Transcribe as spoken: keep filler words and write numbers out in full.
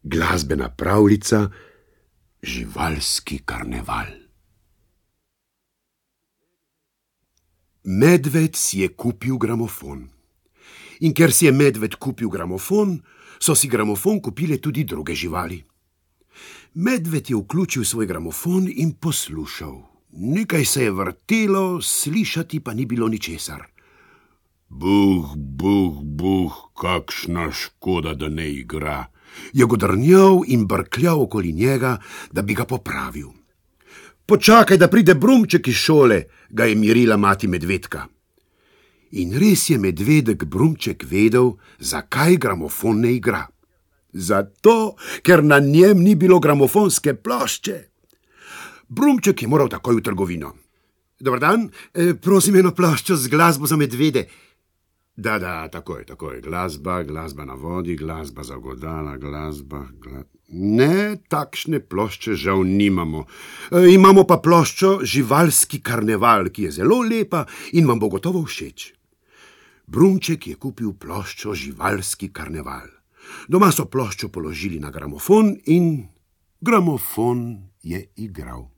Glasbena pravljica Živalski karneval. Medved si je kupil gramofon. In ker si je medved kupil gramofon, so si gramofon kupile tudi druge živali. Medved je vključil svoj gramofon in poslušal. Nekaj se je vrtelo, slišati pa ni bilo ničesar. Buh, buh, buh, kakšna škoda, da ne igra, je godrnjal in brkljal okoli njega, da bi ga popravil. Počakaj, da pride Brumček iz šole, ga je mirila mati medvedka. In res je medvedek Brumček vedel, zakaj gramofon ne igra. Zato, ker na njem ni bilo gramofonske plošče. Brumček je moral takoj v trgovino. Dobar dan, e, prosim eno ploščo z glasbo za medvede. Da, da, takoj, takoj, glasba, glasba na vodi, glasba za godala, glasba, gla... Ne, takšne plošče žal nimamo. E, imamo pa ploščo Živalski karneval, ki je zelo lepa in vam bo gotovo všeč. Brumček je kupil ploščo Živalski karneval. Doma so ploščo položili na gramofon in gramofon je igral.